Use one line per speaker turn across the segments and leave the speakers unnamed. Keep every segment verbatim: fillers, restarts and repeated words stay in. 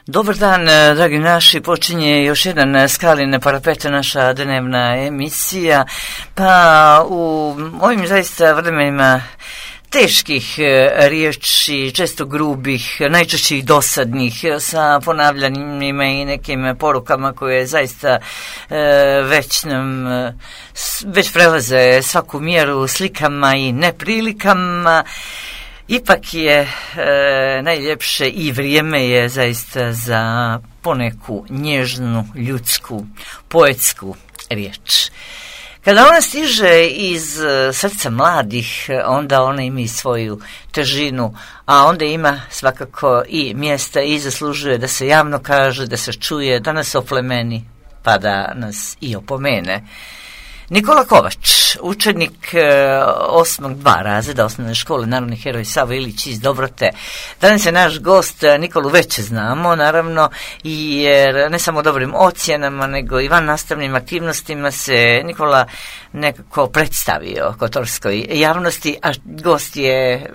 Dobar dan, dragi naši, počinje još jedan Skaline parapete, naša dnevna emisija, pa u ovim zaista vremenima teških riječi, često grubih, najčešće i dosadnih, sa ponavljanjima i nekim porukama koje zaista e, već nam već prelaze svaku mjeru, slikama i neprilikama. Ipak je e, najljepše i vrijeme je zaista za poneku nježnu, ljudsku, poetsku riječ. Kada ona stiže iz srca mladih, onda ona ima i svoju težinu, a onda ima svakako i mjesta i zaslužuje da se javno kaže, da se čuje, da nas oplemeni, pa da nas i opomene. Nikola Kovač, učenik osmog dva razreda osnovne škole Narodni heroj Savo Ilić iz Dobrote. Danas je naš gost, Nikolu već znamo, naravno, jer ne samo dobrim ocjenama, nego i van nastavnim aktivnostima se Nikola nekako predstavio kotorskoj javnosti, a gost je,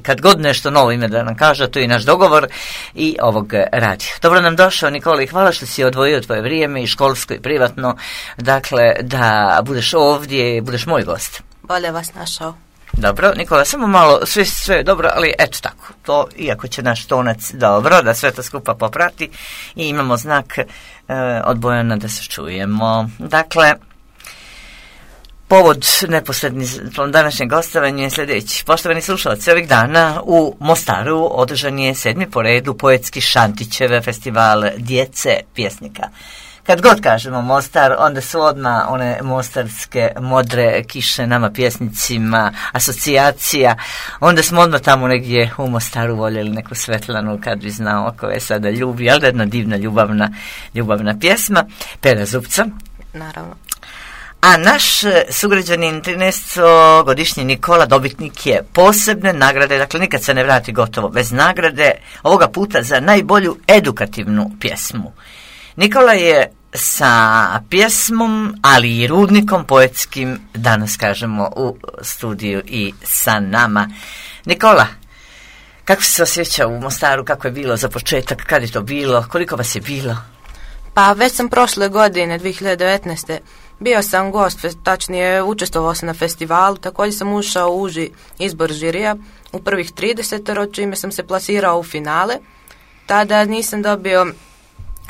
kad god nešto novo ime da nam kaže, to je i naš dogovor i ovog radija. Dobro nam došao, Nikola, i hvala što si odvojio tvoje vrijeme i školsko i privatno, dakle, da budeš ovdje, budeš moj gost.
Bolje vas našao.
Dobro, Nikola, samo malo, sve, sve je dobro, ali eto tako, to, iako će naš tonac dobro, da sve to skupa poprati i imamo znak e, od Bojana da se čujemo. Dakle, povod neposredni današnjeg gostovanja je sljedeći. Poštovani slušalci, ovih dana u Mostaru održan je sedmi po redu poetski Šantićeve festival djece pjesnika. Kad god kažemo Mostar, onda su odmah one mostarske modre kiše nama pjesnicima, asocijacija. Onda smo odmah tamo negdje u Mostaru voljeli neku Svetlanu, kad bi znao ko je sada ljubi, ali jedna divna ljubavna, ljubavna pjesma, Pera Zupca.
Naravno.
A naš sugrađanin trinaestogodišnji Nikola dobitnik je posebne nagrade, dakle nikad se ne vrati gotovo bez nagrade, ovoga puta za najbolju edukativnu pjesmu. Nikola je sa pjesmom, ali i rudnikom poetskim, danas kažemo, u studiju i sa nama. Nikola, kako si se osjećao u Mostaru, kako je bilo za početak, kad je to bilo, koliko vas je bilo?
Pa već sam prošle godine, dvije hiljade devetnaeste. bio sam gost, tačnije učestvovao sam na festivalu, također sam ušao u uži izbor žirija u prvih trideset, čime sam se plasirao u finale. Tada nisam dobio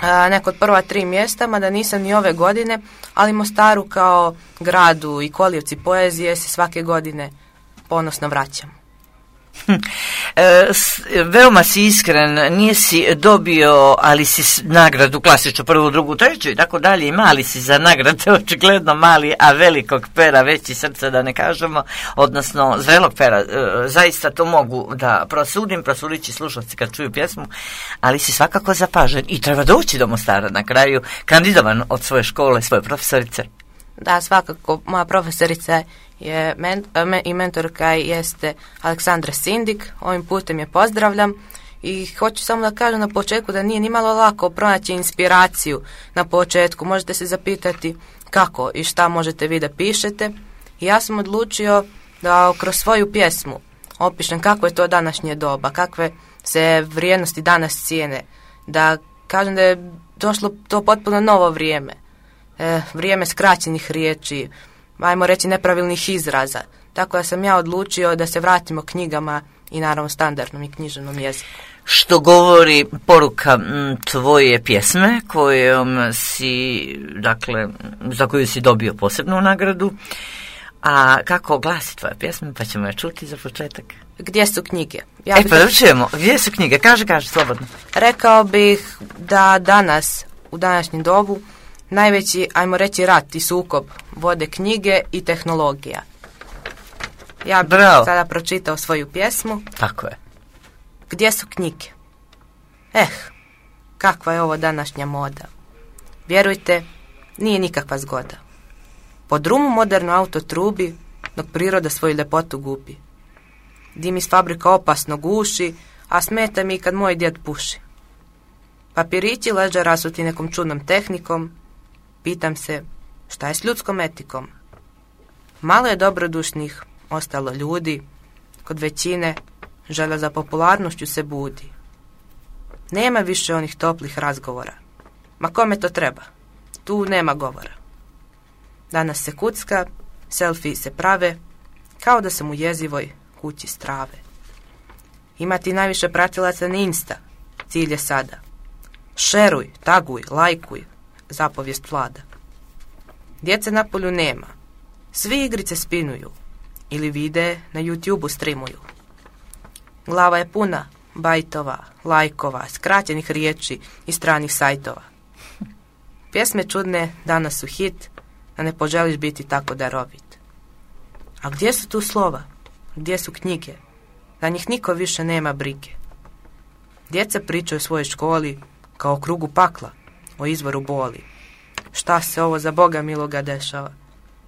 a, neko od prva tri mjesta, mada nisam ni ove godine, ali Mostaru kao gradu i kolijevci poezije se svake godine ponosno vraćam.
E, s, veoma si iskren, nije si dobio, ali si nagradu klasično prvu, drugu, treću i tako dalje, i mali si za nagrade, očigledno mali, a velikog pera, veći srca da ne kažemo, odnosno zrelog pera, e, zaista to mogu da prosudim, prosudit će slušalci kad čuju pjesmu, ali si svakako zapažen i treba doći do Mostara na kraju, kandidovan od svoje škole, svoje profesorice.
Da, svakako, moja profesorica je men, me, i mentorka jeste Aleksandra Sindik, ovim putem je pozdravljam i hoću samo da kažem na početku da nije nimalo lako pronaći inspiraciju na početku. Možete se zapitati kako i šta možete vi da pišete, i ja sam odlučio da kroz svoju pjesmu opišem kako je to današnje doba, kakve se vrijednosti danas cijene, da kažem da je došlo to potpuno novo vrijeme. E, vrijeme skraćenih riječi, ajmo reći nepravilnih izraza. Tako da sam ja odlučio da se vratimo knjigama i naravno standardnom i književnom jeziku.
Što govori poruka m, tvoje pjesme kojom si, dakle, za koju si dobio posebnu nagradu. A kako glasi tvoja pjesma, pa ćemo je čuti za početak.
Gdje su knjige? Ja
e pa da čujemo, gdje su knjige? Kaže, kaže, slobodno.
Rekao bih da danas, u današnjem dobu, najveći, ajmo reći, rat i sukob vode knjige i tehnologija. Ja bih Bravo. sada pročitao svoju pjesmu.
Tako je.
Gdje su knjige? Eh, kakva je ovo današnja moda. Vjerujte, nije nikakva zgoda. Po drumu moderno auto trubi, dok priroda svoju ljepotu gubi. Dim iz fabrika opasno guši, a smeta mi kad moj djed puši. Papirići leže rasuti nekom čudnom tehnikom. Pitam se, šta je s ljudskom etikom? Malo je dobrodušnih ostalo ljudi, kod većine želja za popularnošću se budi. Nema više onih toplih razgovora. Ma kome to treba? Tu nema govora. Danas se kucka, selfie se prave, kao da sam u jezivoj kući strave. Imati najviše pratilaca na Insta, cilj je sada. Šeruj, taguj, lajkuj, zapovijest vlada. Djece na polju nema. Svi igrice spinuju ili vide na YouTubeu streamuju. Glava je puna bajtova, lajkova, skraćenih riječi i stranih sajtova. Pjesme čudne danas su hit, a ne poželiš biti tako darovit. A gdje su tu slova? Gdje su knjige? Na njih niko više nema brige. Djeca pričaju o svojoj školi kao o krugu pakla, o izvoru boli. Šta se ovo za Boga miloga dešava?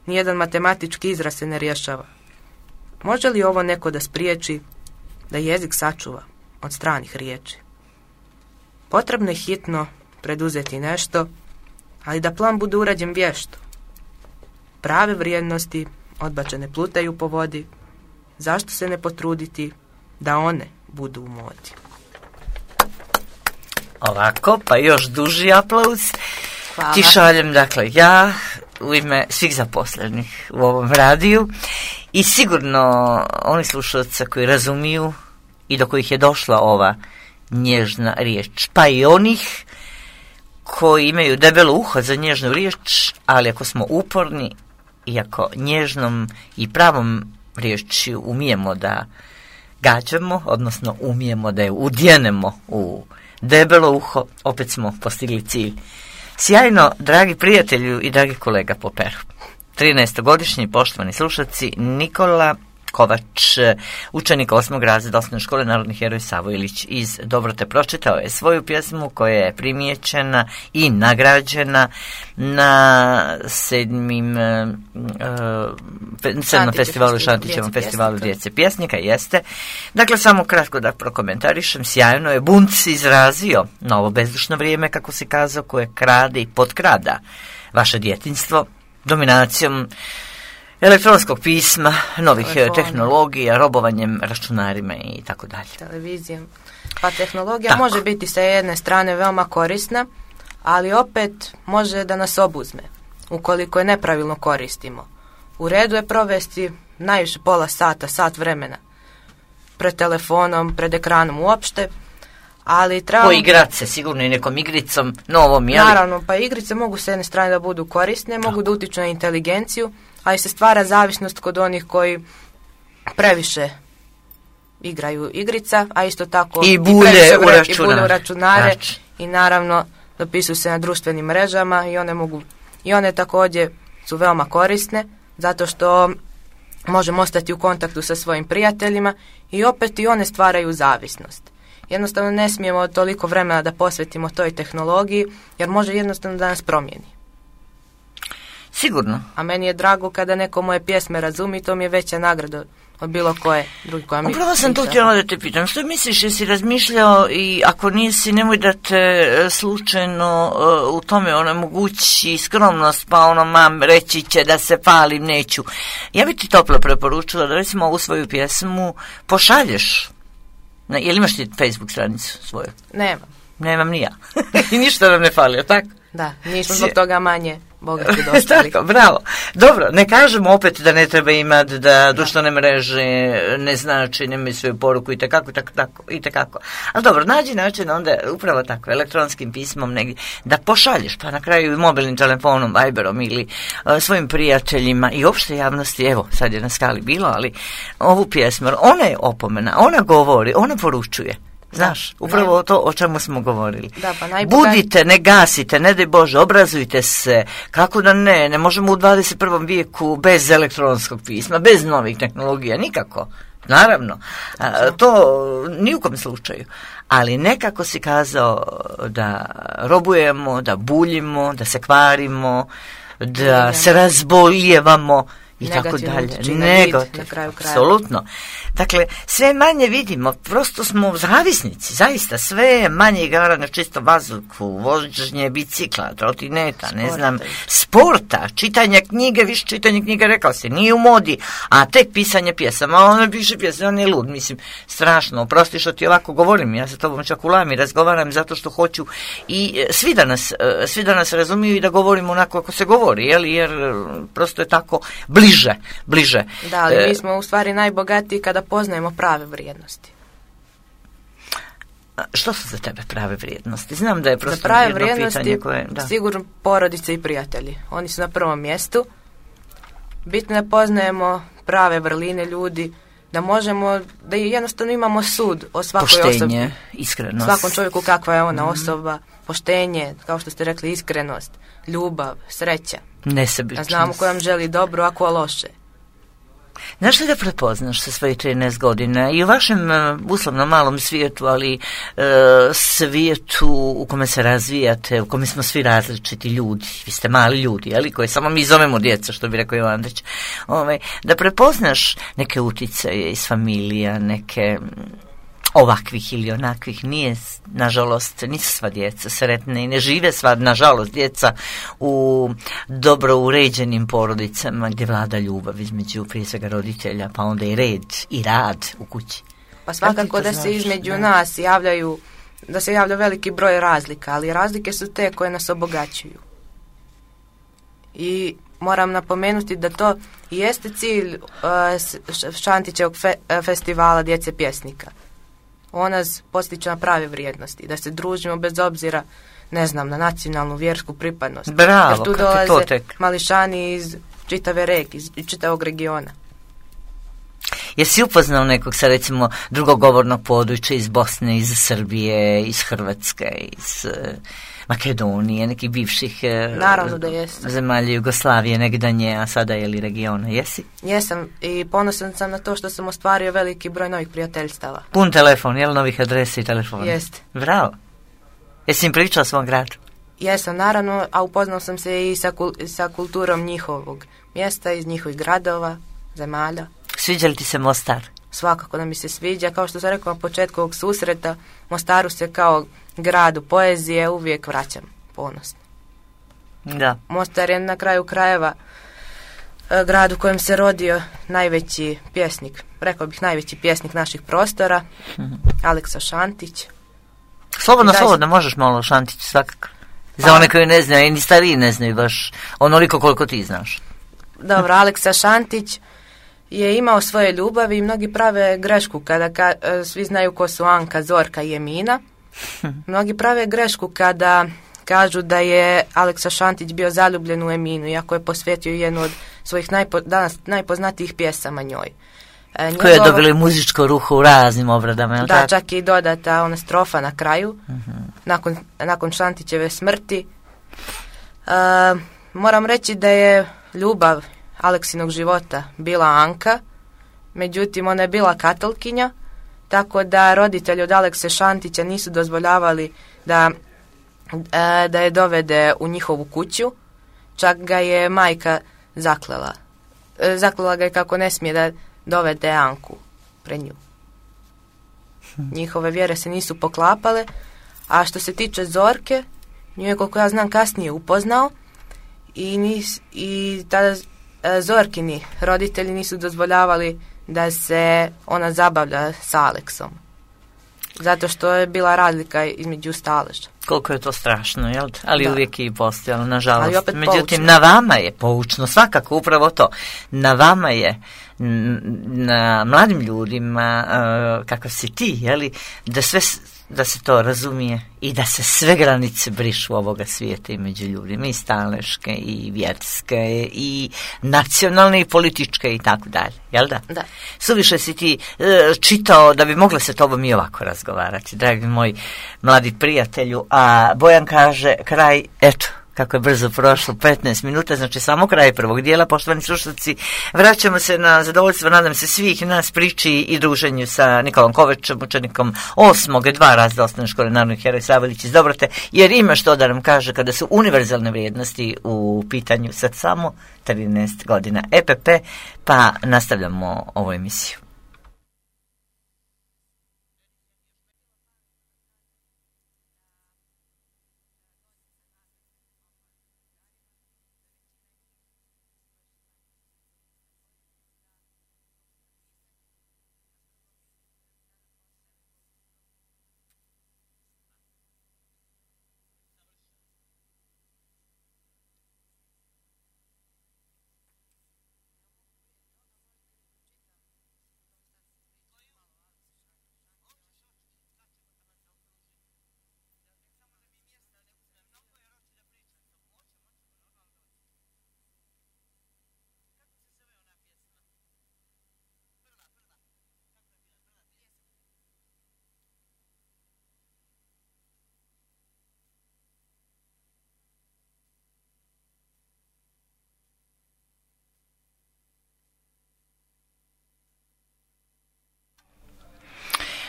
Nijedan matematički izraz se ne rješava. Može li ovo neko da spriječi, da jezik sačuva od stranih riječi? Potrebno je hitno preduzeti nešto, ali da plan bude urađen vješto. Prave vrijednosti odbačene plutaju po vodi, zašto se ne potruditi da one budu u modi?
Ovako, pa još duži aplauz.
Hvala.
Ti šaljem, dakle, ja u ime svih zaposlenih u ovom radiju i sigurno oni slušalci koji razumiju i do kojih je došla ova nježna riječ, pa i onih koji imaju debelo uho za nježnu riječ, ali ako smo uporni i ako nježnom i pravom riječju umijemo da gađamo, odnosno umijemo da je udjenemo u debelo uho, opet smo postigli cilj. Sjajno, dragi prijatelju i dragi kolega po peru. trinaestogodišnji poštovani slušaci, Nikola Kovač, učenik osmog razreda osnovne škole Narodni heroj Savo Ilić iz Dobrote, pročitao je svoju pjesmu koja je primijećena i nagrađena na sedmim uh, sedmom festivalu, Šantićevom festivalu djece pjesnika, jeste. Dakle, samo kratko da prokomentarišem, sjajno je Bunc izrazio novo bezdušno vrijeme, kako se kazao, koje krade i potkrada vaše djetinjstvo dominacijom elektronskog pisma, novih Telefon. tehnologija, robovanjem računarima i tako dalje.
Televizijom. Pa tehnologija
tako.
može biti sa jedne strane veoma korisna, ali opet može da nas obuzme, ukoliko je nepravilno koristimo. U redu je provesti najviše pola sata, sat vremena pred telefonom, pred ekranom uopšte, ali trebamo...
Poigrat se sigurno i nekom igricom novom, jeli?
Naravno, pa igrice mogu s jedne strane da budu korisne, mogu da utiču na inteligenciju, ali se stvara zavisnost kod onih koji previše igraju igrica, a isto tako
i bulje
i
u računare,
u računare znači. I naravno dopisuju se na društvenim mrežama i one mogu i one također su veoma korisne zato što možemo ostati u kontaktu sa svojim prijateljima i opet i one stvaraju zavisnost. Jednostavno ne smijemo toliko vremena da posvetimo toj tehnologiji jer može jednostavno da nas promijeni.
Sigurno.
A meni je drago kada neko moje pjesme razumi, to mi je veća nagrada od bilo koje drugi koja mi...
Upravo sam to htjela da te pitam. Što misliš, jesi razmišljao i ako nisi, nemoj da te slučajno uh, u tome onemogući skromnost, pa ono mam reći će da se palim, neću. Ja bi ti toplo preporučila da recimo ovu svoju pjesmu pošalješ. Ne, jel imaš ti Facebook stranicu svoju?
Nemam.
Nemam ni ja. I ništa nam ne fali, tako?
Da, nismo zbog toga manje bogati dostali.
Tako, bravo. Dobro, ne kažemo opet da ne treba imati, da društvene mreže ne znači, nemaju svoju poruku i tekako, i tako, i tekako. Ali dobro, nađi način onda upravo tako, elektronskim pismom negdje, da pošalješ, pa na kraju i mobilnim telefonom, Viberom ili uh, svojim prijateljima i opšte javnosti, evo, sad je na skali bilo, ali ovu pjesmu, ona je opomena, ona govori, ona poručuje. Znaš, upravo to o čemu smo govorili.
Da, pa najbogat...
Budite, ne gasite, ne daj Bože, obrazujte se. Kako da ne, ne možemo u dvadeset prvom vijeku bez elektronskog pisma, bez novih tehnologija, nikako. Naravno, a, to ni u kom slučaju. Ali nekako si kazao da robujemo, da buljimo, da se kvarimo, da se razboljevamo i tako dalje.
Nego, na kraju kraja.
Apsolutno. Dakle, sve manje vidimo, prosto smo zavisnici, zaista, sve manje igara na čisto vazduhu, vožnje bicikla, trotineta, ne znam, sporta, čitanja knjige, više čitanje knjige, rekao si, nije u modi, a tek pisanje pjesama, on piše pjesme, on je lud, mislim, strašno, oprosti što ti ovako govorim, ja sa tobom čak u lami razgovaram zato što hoću i svi da nas, svi da nas razumiju i da govorimo onako kako se govori, jel, jer prosto je tako bliže, bliže.
Da, ali mi smo u stvari najbogatiji kada poznajemo prave vrijednosti.
Što su za tebe prave vrijednosti? Znam da je prosto
za prave
jedno
vrijednosti,
pitanje koje... Da.
Sigurno porodice i prijatelji. Oni su na prvom mjestu. Bitno je poznajemo prave vrline ljudi, da možemo, da jednostavno imamo sud o svakoj
poštenje,
osobi.
Poštenje, iskrenost.
Svakom čovjeku kakva je ona
mm.
osoba. Poštenje, kao što ste rekli, iskrenost, ljubav, sreća.
Nesebičnost.
Da znamo ko nam želi dobro, a ko loše.
Znaš li da prepoznaš sa svojih trinaest godina i u vašem uh, uslovno malom svijetu, ali uh, svijetu u kome se razvijate, u kome smo svi različiti ljudi, vi ste mali ljudi, ali koje samo mi zovemo djeca, što bi rekao Jovandrić, ovaj, da prepoznaš neke uticaje iz familija, neke ovakvih ili onakvih, nije, nažalost, nisu sva djeca sretne i ne žive sva, nažalost, djeca u dobro uređenim porodicama gdje vlada ljubav između prije svega roditelja, pa onda i red i rad u kući.
Pa svakako da se između da. nas javljaju, da se javlja veliki broj razlika, ali razlike su te koje nas obogaćuju. I moram napomenuti da to i jeste cilj uh, Šantićevog fe, uh, festivala djece pjesnika. On nas postiče na prave vrijednosti, da se družimo bez obzira, ne znam, na nacionalnu, vjersku pripadnost.
Bravo,
jer tu dolaze mališani iz čitave reke, iz čitavog regiona.
Jesi upoznao nekog sa recimo drugogovornog područja iz Bosne, iz Srbije, iz Hrvatske, iz uh, Makedonije, nekih bivših uh,
Naravno da jesam.
zemalja Jugoslavije, nekdanje, a sada je li regiona, jesi?
Jesam i ponosan sam na to što sam ostvario veliki broj novih prijateljstava.
Pun telefon, je li novih adresa i telefona?
Jeste.
Bravo. Jesi im pričao o svom gradu?
Jesam, naravno, a upoznao sam se i sa, kul- sa kulturom njihovog mjesta, iz njihovih gradova, zemalja.
Sviđa li ti se Mostar?
Svakako da mi se sviđa. Kao što sam rekao na početku ovog susreta, Mostaru se kao gradu poezije uvijek vraćam ponosno.
Da.
Mostar je na kraju krajeva grad u kojem se rodio najveći pjesnik, rekao bih najveći pjesnik naših prostora, mm-hmm. Aleksa Šantić.
Slobodno, Daj... slobodno, možeš malo Šantić svakako. Za one koji ne znaju, i ni stariji ne znaju baš onoliko koliko ti znaš.
Dobro, Aleksa Šantić je imao svoje ljubavi i mnogi prave grešku kada ka, svi znaju ko su Anka, Zorka i Emina. Mnogi prave grešku kada kažu da je Aleksa Šantić bio zaljubljen u Eminu, iako je posvetio jednu od svojih najpo, danas najpoznatijih pjesama njoj.
E, njegov... Koje je dobilo muzičko ruho u raznim obradama, jel
da,
tako?
čak i dodata ona strofa na kraju,
uh-huh.
nakon, nakon Šantićeve smrti. E, moram reći da je ljubav Aleksinog života bila Anka, međutim ona je bila katolkinja, tako da roditelji od Alekse Šantića nisu dozvoljavali da, e, da je dovede u njihovu kuću, čak ga je majka zaklela. E, zaklela ga je kako ne smije da dovede Anku pred nju. Njihove vjere se nisu poklapale, a što se tiče Zorke, nju je, koliko ja znam, kasnije upoznao i, nis, i tada Zorkini roditelji nisu dozvoljavali da se ona zabavlja s Aleksom. Zato što je bila razlika između staleža.
Koliko je to strašno, jel? Ali
da.
Uvijek je i postojalo, nažalost.
Ali opet
Međutim,
poučno.
Na vama je poučno, svakako upravo to. Na vama je, na mladim ljudima, uh, kakav si ti, jeli, da sve, da se to razumije i da se sve granice brišu ovoga svijeta i među ljudima, i staleške, i vjerske, i nacionalne, i političke, i tako dalje, jel da?
Da.
Suviše si ti uh, čitao da bi mogla se tobom i ovako razgovarati, dragi moj mladi prijatelju, a Bojan kaže kraj, eto, kako je brzo prošlo, petnaest minuta, znači samo kraj prvog dijela, poštovani slušalci. Vraćamo se na zadovoljstvo, nadam se, svih nas priči i druženju sa Nikolom Kovačem, učenikom osmog dva razreda osnovne škole Narodni heroj Savelić iz Dobrote, jer ima što da nam kaže kada su univerzalne vrijednosti u pitanju sad samo trinaest godina E P P, pa nastavljamo ovu emisiju.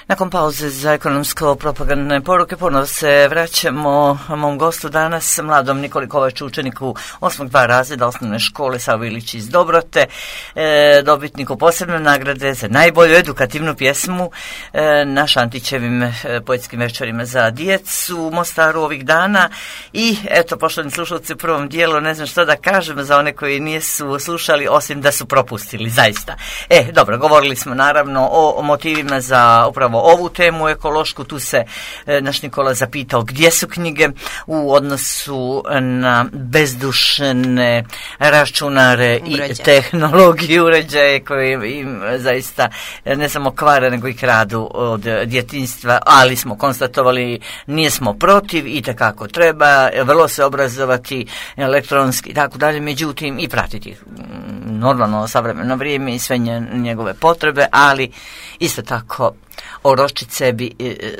Nakon pauze za ekonomsko-propagandne poruke ponovno se vraćamo mom gostu danas, mladom Nikoli Kovaču, učeniku osmog dva razreda osnovne škole Savelić iz Dobrote, e, dobitniku posebne nagrade za najbolju edukativnu pjesmu e, na Šantićevim e, poetskim večerima za djecu u Mostaru ovih dana. I eto, poštovani slušalci, u prvom dijelu ne znam što da kažem za one koji nisu slušali, osim da su propustili, zaista. E, dobro, govorili smo naravno o, o motivima za upravo ovu temu ekološku. Tu se e, naš Nikola zapitao gdje su knjige u odnosu na bezdušne računare uređaje i tehnologiju, uređaje koje im zaista ne samo kvare nego i kradu od djetinjstva, ali smo konstatovali nismo protiv i tekako treba vrlo se obrazovati elektronski i tako dalje, međutim i pratiti normalno savremeno vrijeme i sve njegove potrebe, ali isto tako oročiti sebi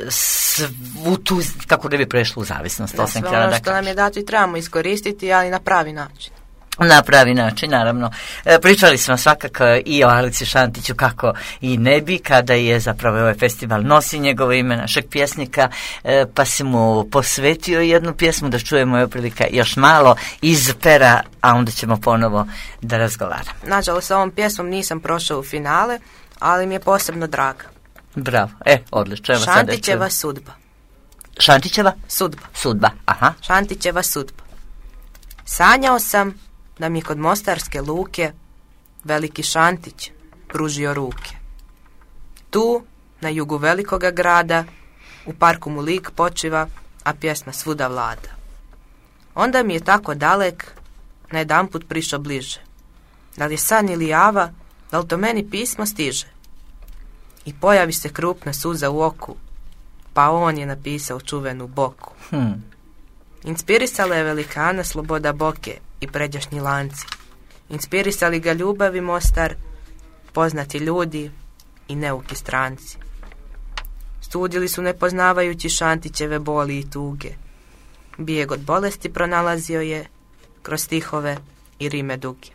svu tu, kako da bi prešlo u zavisnost.
Da, sve ono što nam je dato i trebamo iskoristiti, ali na pravi način.
Na pravi način, naravno. E, pričali smo svakako i o Alici Šantiću, kako i ne bi, kada je zapravo ovaj festival nosi njegovo ime, našeg pjesnika, e, pa si mu posvetio jednu pjesmu, da čujemo je prilika još malo iz pera, a onda ćemo ponovo da razgovaramo.
Nažalost, s ovom pjesmom nisam prošao u finale, ali mi je posebno draga.
Bravo, e, odlično.
Šantićeva sudba.
Šantićeva?
Sudba.
Sudba, aha.
Šantićeva sudba. Sanjao sam da mi kod Mostarske luke veliki Šantić pružio ruke. Tu, na jugu velikoga grada, u parku mu lik počiva, a pjesma svuda vlada. Onda mi je tako dalek, na jedanput prišao bliže. Da li je san ili java, da li to meni pismo stiže? I pojavi se krupna suza u oku, pa on je napisao čuvenu Boku.
Hmm.
Inspirisala je velikana Sloboda Boke i pređašnji lanci. Inspirisali ga ljubavi Mostar, poznati ljudi i neuki stranci. Studili su nepoznavajući Šantićeve boli i tuge. Bijeg od bolesti pronalazio je kroz stihove i rime duge.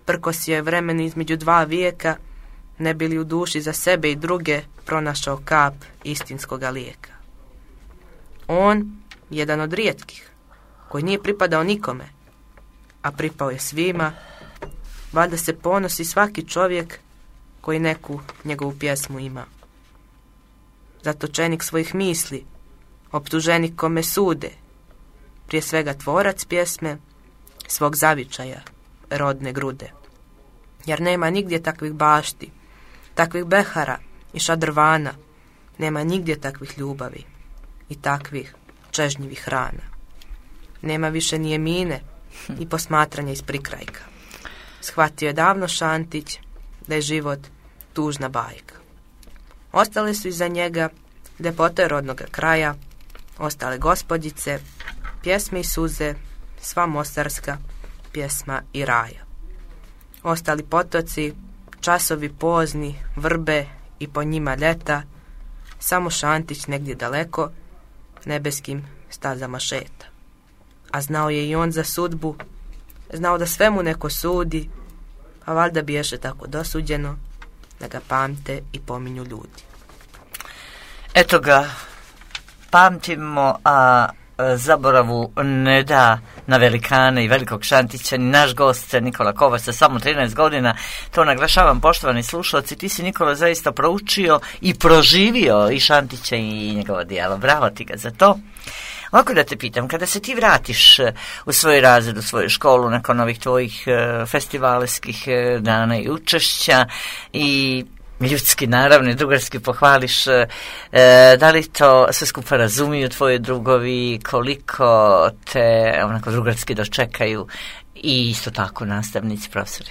Prkos je vremen između dva vijeka, ne bi li u duši za sebe i druge pronašao kap istinskoga lijeka. On, jedan od rijetkih, koji nije pripadao nikome, a pripao je svima, valjda se ponosi svaki čovjek koji neku njegovu pjesmu ima. Zatočenik svojih misli, optuženik kome sude, prije svega tvorac pjesme, svog zavičaja, rodne grude. Jer nema nigdje takvih bašti, takvih behara i šadrvana, nema nigdje takvih ljubavi i takvih čežnjivih rana. Nema više ni jemine i posmatranja iz prikrajka. Shvatio je davno Šantić da je život tužna bajka. Ostale su iza njega ljepote rodnoga kraja, ostale gospođice, pjesme i suze, sva mostarska pjesma i raja. Ostali potoci, časovi pozni, vrbe i po njima ljeta, samo Šantić negdje daleko nebeskim stazama šeta. a znao je i on za sudbu, znao da svemu neko sudi, a valjda biješe tako dosuđeno da ga pamte i pominju ljudi.
Eto ga, pamtimo, a zaboravu ne da na velikane i velikog Šantića ni naš gost Nikola Kovač sa samo trinaest godina. To naglašavam, poštovani slušalci, ti si, Nikola, zaista proučio i proživio i Šantića i njegovo djelo. Bravo ti ga za to. Ovako da te pitam, kada se ti vratiš u svoj razred, u svoju školu nakon ovih tvojih festivalskih dana i učešća i ljudski, naravno, i drugarski pohvališ, e, da li to sve skupa razumiju tvoji drugovi, koliko te onako drugarski dočekaju i isto tako nastavnici, profesori?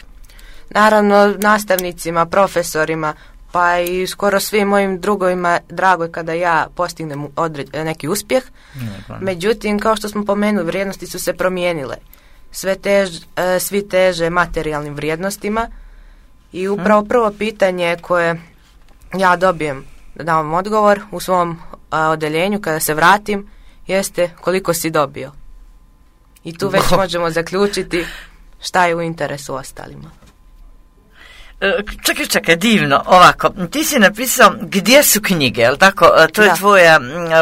Naravno, nastavnicima, profesorima, pa i skoro svim mojim drugovima drago je kada ja postignem odred, neki uspjeh. Ne, Međutim, kao što smo pomenuli, vrijednosti su se promijenile. Sve tež, e, svi teže materijalnim vrijednostima. I upravo prvo pitanje koje ja dobijem da dam odgovor u svom a, odeljenju kada se vratim jeste koliko si dobio. I tu već možemo zaključiti šta je u interesu ostalima.
Čekaj, čekaj, divno, ovako, ti si napisao gdje su knjige, jel tako? To je, da. tvoja,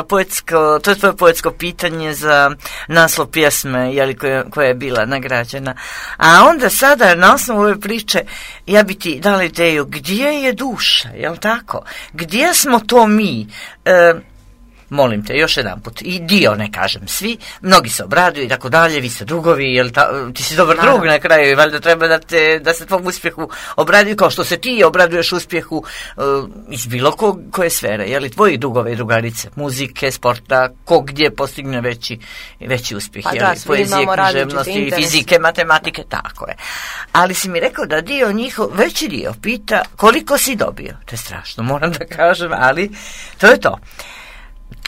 poetsko, to je tvoje poetsko pitanje za naslov pjesme, jeli, koja, koja je bila nagrađena. A onda sada, na osnovu ove priče, ja bi ti dala ideju, gdje je duša, jel tako? Gdje smo to mi? E, molim te, još jedan put, i dio, ne kažem svi, mnogi se obraduju i tako dalje, vi ste drugovi, jel ta, ti si dobar Naravno. drug na kraju i valjda treba da, te, da se tvom uspjehu obraduju kao što se ti obraduješ uspjehu uh, iz bilo ko, koje sfere, jel, tvoji drugove i drugarice, muzike, sporta, ko gdje postigne veći, veći uspjeh, pa jel, da, poezije, književnosti, fizike, matematike, tako je. Ali si mi rekao da dio njihov, veći dio pita koliko si dobio, to je strašno, moram da kažem, ali to je to.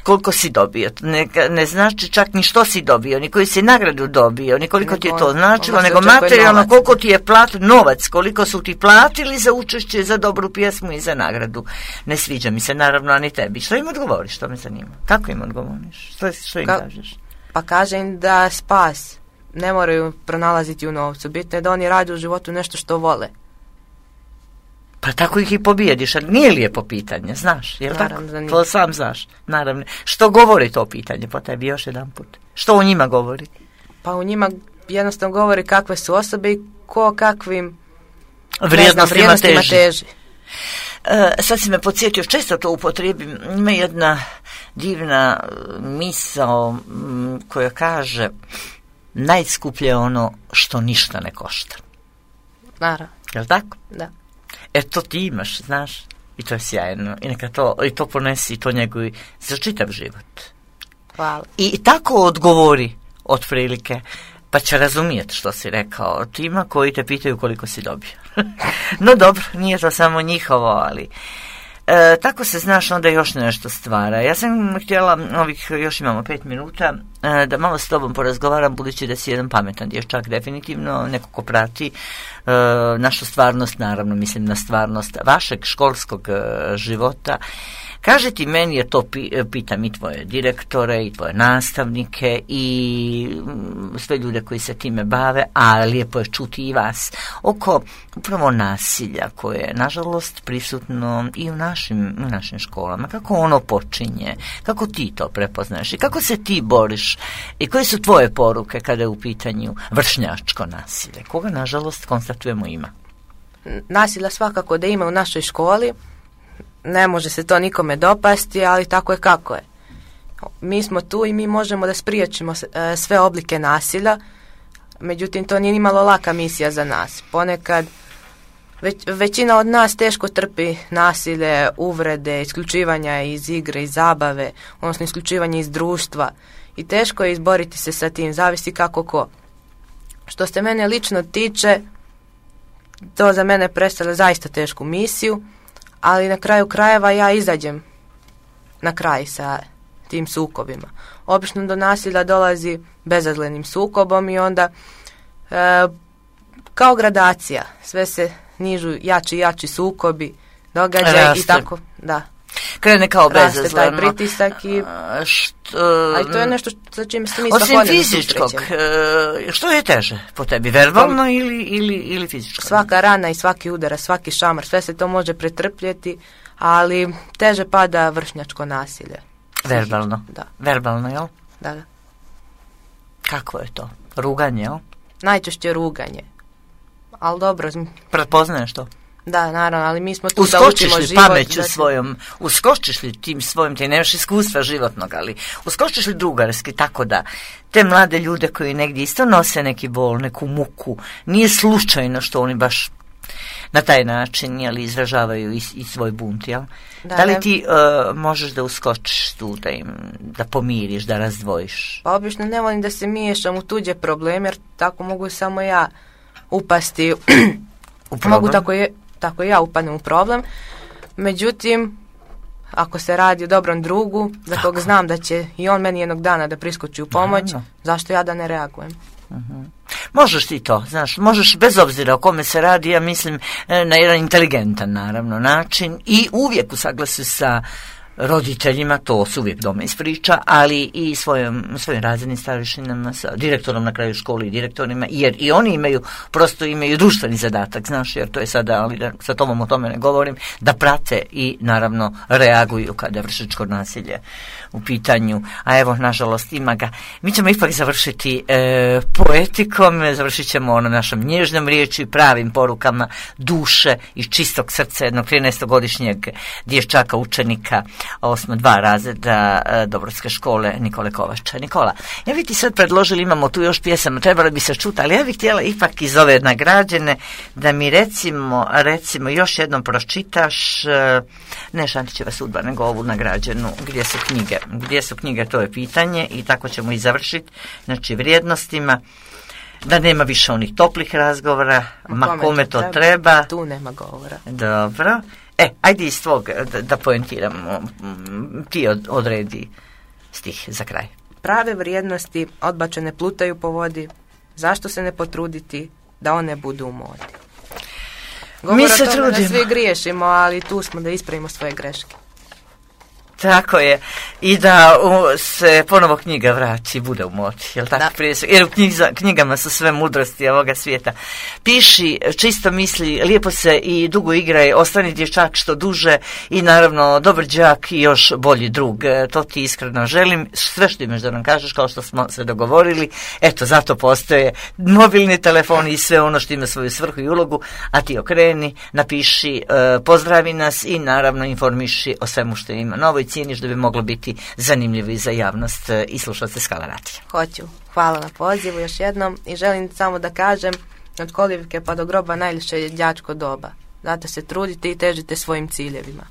Koliko si dobio, ne, ne znači čak ni što si dobio, ni koju si nagradu dobio, ni koliko ti je to značilo, nego materijalno koliko ti je plat, novac, koliko su ti platili za učešće, za dobru pjesmu i za nagradu. Ne sviđa mi se, naravno, ani tebi. Što im odgovoriš, to me zanima. Kako im odgovoriš? Što, što im Ka- kažeš?
Pa kažem da spas ne moraju pronalaziti u novcu. Bitno je da oni rade u životu nešto što vole.
Pa tako ih i pobijediš, ali nije lijepo pitanje, znaš, jel
Naravno,
tako? To sam znaš, naravno. Što govori to pitanje po tebi još jedan put? Što u njima govori?
Pa u njima jednostavno govori kakve su osobe i ko kakvim
vrijednostima,
znam, vrijednostima teži. teži.
E, sad si me podsjetio, često to upotrijebim, ima jedna divna misao m, koja kaže najskuplje je ono što ništa ne košta.
Naravno.
Jel tako?
Da.
E to ti imaš, znaš, i to je sjajno. I neka to, i to ponesi, i to njegovi za čitav život.
Hvala.
I tako odgovori otprilike, pa će razumijeti što si rekao tima koji te pitaju koliko si dobio. No dobro, nije to samo njihovo, ali e, tako se, znaš, onda još nešto stvara. Ja sam htjela, ovih još imamo pet minuta, e, da malo s tobom porazgovaram, budući da si jedan pametan dječak, definitivno, neko ko prati e, našu stvarnost, naravno mislim na stvarnost vašeg školskog e, života. Kaži ti, meni je to, pitam i tvoje direktore i tvoje nastavnike i sve ljude koji se time bave, a lijepo je čuti i vas, oko upravo nasilja koje je nažalost prisutno i u našim, u našim školama. Kako ono počinje, kako ti to prepoznaješ i kako se ti boriš i koje su tvoje poruke kada je u pitanju vršnjačko nasilje, koga nažalost konstatujemo ima?
Nasilja svakako da ima u našoj školi. Ne može se to nikome dopasti, ali tako je kako je. Mi smo tu i mi možemo da spriječimo sve oblike nasilja, međutim to nije nimalo laka misija za nas. Ponekad već, većina od nas teško trpi nasilje, uvrede, isključivanja iz igre, iz zabave, odnosno isključivanje iz društva i teško je izboriti se sa tim, zavisi kako ko. Što se mene lično tiče, to za mene predstavlja zaista tešku misiju, ali na kraju krajeva ja izađem na kraj sa tim sukobima. Obično do nasilja dolazi bezazlenim sukobom i onda e, kao gradacija, sve se nižu jači i jači sukobi, događaj i tako, da.
krene kao bezazleno.
Raste taj pritisak i...
Što,
ali to je nešto za čime se mi
osim
svakodnevno
fizičkog,
susrećemo.
što je teže po tebi, verbalno ili, ili, ili fizičko?
Svaka rana i svaki udara, svaki šamar, sve se to može pretrpjeti, ali teže pada vršnjačko nasilje.
Verbalno?
Da.
Verbalno, jel?
Da, da.
Kako je to? Ruganje, jel?
Najčešće ruganje. Ali dobro.
Prepoznaješ to?
Da, naravno, ali mi smo tu
uskočiš
da učimo
li
život.
Pameću
da...
svojom, uskočiš li tim svojim, ti nemaš iskustva životnog, ali uskočiš li drugarski, tako da te mlade ljude koji negdje isto nose neki bol, neku muku, nije slučajno što oni baš na taj način, jel, izražavaju i, i svoj bunt, jel? Da, da li ti uh, možeš da uskočiš tu, da im, da pomiriš, da razdvojiš?
Pa obično ne volim da se miješam u tuđe probleme, jer tako mogu samo ja upasti u problem. Mogu tako, je, tako ja upadnem u problem. Međutim, ako se radi o dobrom drugu, za kog znam da će i on meni jednog dana da priskoči u pomoć, Naravno. zašto ja da ne reagujem?
Uh-huh. Možeš ti to, znaš, možeš bez obzira o kome se radi, ja mislim, na jedan inteligentan, naravno, način i uvijek u saglasu sa roditeljima, to se uvijek doma ispriča, ali i svojim, svojim razrednim starješinama, sa direktorom na kraju škole i direktorima, jer i oni imaju, prosto imaju društveni zadatak, znaš, jer to je sada, ali sa tobom o tome ne govorim, da prate i naravno reaguju kada je vršnjačko nasilje u pitanju, a evo, nažalost, ima ga. Mi ćemo ipak završiti e, poetikom, završit ćemo ono našom nježnom riječi, pravim porukama duše i čistog srca jednog trinaestogodišnjeg dječaka, učenika osmo dva razreda e, Dobrotske škole Nikole Kovača. Nikola, ja bih ti sad predložili, imamo tu još pjesama, trebali bi se čuti, ali ja bih htjela ipak iz ove nagrađene da mi recimo, recimo još jednom pročitaš e, ne Šantićeva sudba, nego ovu nagrađenu, gdje su knjige. Gdje su knjige, to je pitanje i tako ćemo i završiti, znači vrijednostima, da nema više onih toplih razgovora, ma, ma kome to treba, treba.
Tu nema govora.
Dobro. E, ajde iz tvog da, da poentiramo, ti od, odredi stih za kraj.
Prave vrijednosti odbačene plutaju po vodi, zašto se ne potruditi da one budu u modi? Govor
Mi se
o tome
trudimo.
Da svi griješimo, ali tu smo da ispravimo svoje greške.
Tako je. I da u, se ponovo knjiga vrati, bude u modi. Jel tako? Prije su, jer u knjiga, knjigama su sve mudrosti ovoga svijeta. Piši, čisto misli, lijepo se i dugo igraj, ostani dječak što duže i naravno dobar đak i još bolji drug. To ti iskreno želim. Sve što imaš da nam kažeš, kao što smo se dogovorili, eto, zato postoje mobilni telefoni i sve ono što ima svoju svrhu i ulogu, a ti okreni, napiši, pozdravi nas i naravno informiši o svemu što ima novo i cijeniš da bi moglo biti zanimljivo i za javnost i slušalce Skala radija.
Hoću. Hvala na pozivu još jednom i želim samo da kažem, od kolivke pa do groba najljepše je đačko doba. Zato se trudite i težite svojim ciljevima.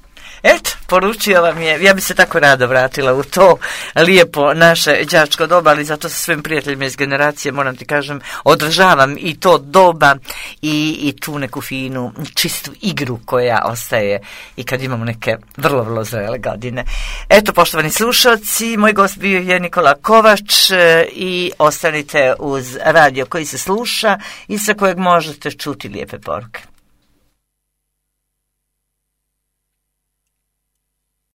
Eto, poručio vam je, ja bi se tako rado vratila u to lijepo naše đačko doba, ali zato sa svojim prijateljima iz generacije, moram ti kažem, održavam i to doba i, i tu neku finu, čistu igru koja ostaje i kad imamo neke vrlo, vrlo zrele godine. Eto, poštovani slušalci, moj gost bio je Nikola Kovač i ostanite uz radio koji se sluša i sa kojeg možete čuti lijepe poruke.